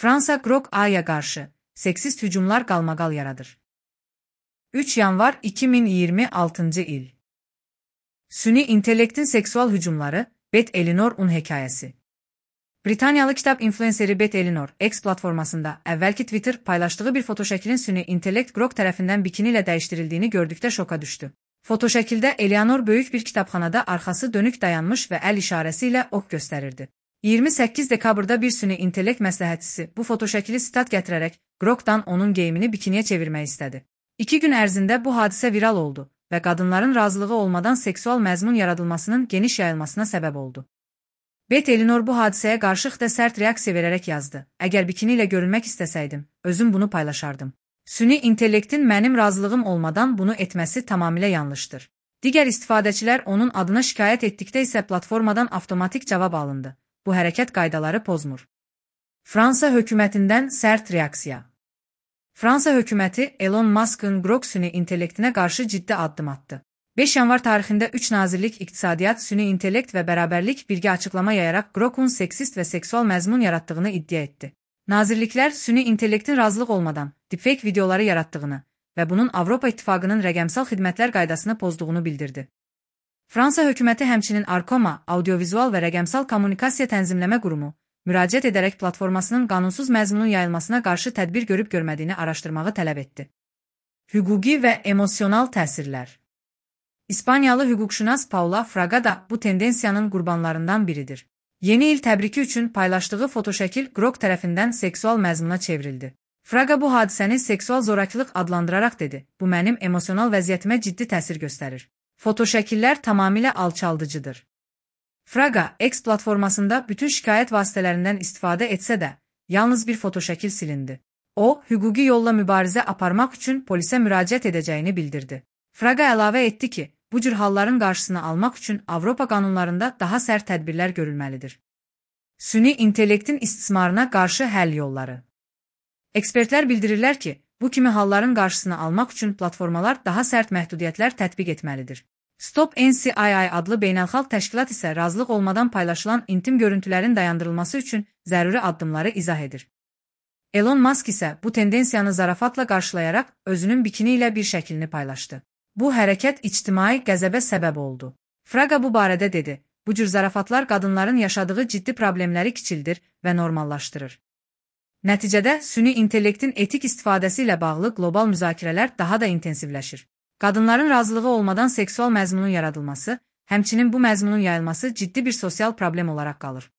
Fransa Grok A.'ya qarşı seksist hücumlar qalmaqal yaradır. 3 yanvar 2026 il. Süni intellektin seksual hücumları, Beth Eleanor-un hekayəsi. Britaniyalı kitab influenceri Beth Eleanor, X platformasında əvvəlki Twitter paylaşdığı bir fotoşəklin süni intellekt Grok tərəfindən bikini ilə dəyişdirildiyini gördükdə şoka düşdü. Fotoşəkildə Eleanor böyük bir kitabxanada arxası dönük dayanmış və əl işarəsi ilə ox göstərirdi. 28 dekabrda bir süni intellekt məsləhətçisi bu fotoşəkili sitat gətirərək Grokdan onun geyimini bikiniyə çevirmək istədi. 2 gün ərzində bu hadisə viral oldu və qadınların razılığı olmadan seksual məzmun yaradılmasının geniş yayılmasına səbəb oldu. Beth Eleanor bu hadisəyə qarşı da sərt reaksiya verərək yazdı. Əgər bikini ilə görünmək istəsəydim, özüm bunu paylaşardım. Süni intellektin mənim razılığım olmadan bunu etməsi tamamilə yanlışdır. Digər istifadəçilər onun adına şikayət etdikdə isə platformadan avtomatik cavab alındı. Bu hərəkət qaydaları pozmur. Fransa hökumətindən sərt reaksiya. Fransa hökuməti Elon Musk'ın Grok süni intellektinə qarşı ciddi addım atdı. 5 yanvar tarixində 3 nazirlik iqtisadiyyat, süni intellekt və bərabərlik birgə açıqlama yayaraq Grok'un seksist və seksual məzmun yaratdığını iddia etdi. Nazirliklər süni intellektin razılıq olmadan deepfake videoları yaratdığını və bunun Avropa İttifaqının rəqəmsal xidmətlər qaydasını pozduğunu bildirdi. Fransa hökuməti həmçinin Arcoma, audiovizual və rəqəmsal kommunikasiya tənzimləmə qurumu, müraciət edərək platformasının qanunsuz məzmunun yayılmasına qarşı tədbir görüb görmədiyini araşdırmağı tələb etdi. Hüquqi və emosional təsirlər. İspaniyalı hüquqşünas Paula Fraga da bu tendensiyanın qurbanlarından biridir. Yeni il təbriki üçün paylaşdığı fotoşəkil Grok tərəfindən seksual məzmuna çevrildi. Fraga bu hadisəni seksual zorakılıq adlandıraraq dedi, bu mənim emosional vəziyyətimə ciddi təsir göstərir. Fotoşəkillər tamamilə alçaldıcıdır. Fraga, X platformasında bütün şikayət vasitələrindən istifadə etsə də, yalnız bir fotoşəkil silindi. O, hüquqi yolla mübarizə aparmaq üçün polisə müraciət edəcəyini bildirdi. Fraga əlavə etdi ki, bu cür halların qarşısını almaq üçün Avropa qanunlarında daha sərt tədbirlər görülməlidir. Süni intellektin istismarına qarşı həll yolları. Ekspertlər bildirirlər ki, bu kimi halların qarşısını almaq üçün platformalar daha sərt məhdudiyyətlər tətbiq etməlidir. Stop NCII adlı beynəlxalq təşkilat isə razılıq olmadan paylaşılan intim görüntülərin dayandırılması üçün zəruri addımları izah edir. Elon Musk isə bu tendensiyanı zarafatla qarşılayaraq özünün bikini ilə bir şəklini paylaşdı. Bu hərəkət ictimai qəzəbə səbəb oldu. Fraga bu barədə dedi, bu cür zarafatlar qadınların yaşadığı ciddi problemləri kiçildir və normallaşdırır. Nəticədə süni intellektin etik istifadəsi ilə bağlı qlobal müzakirələr daha da intensivləşir. Qadınların razılığı olmadan seksual məzmunun yaradılması, həmçinin bu məzmunun yayılması ciddi bir sosial problem olaraq qalır.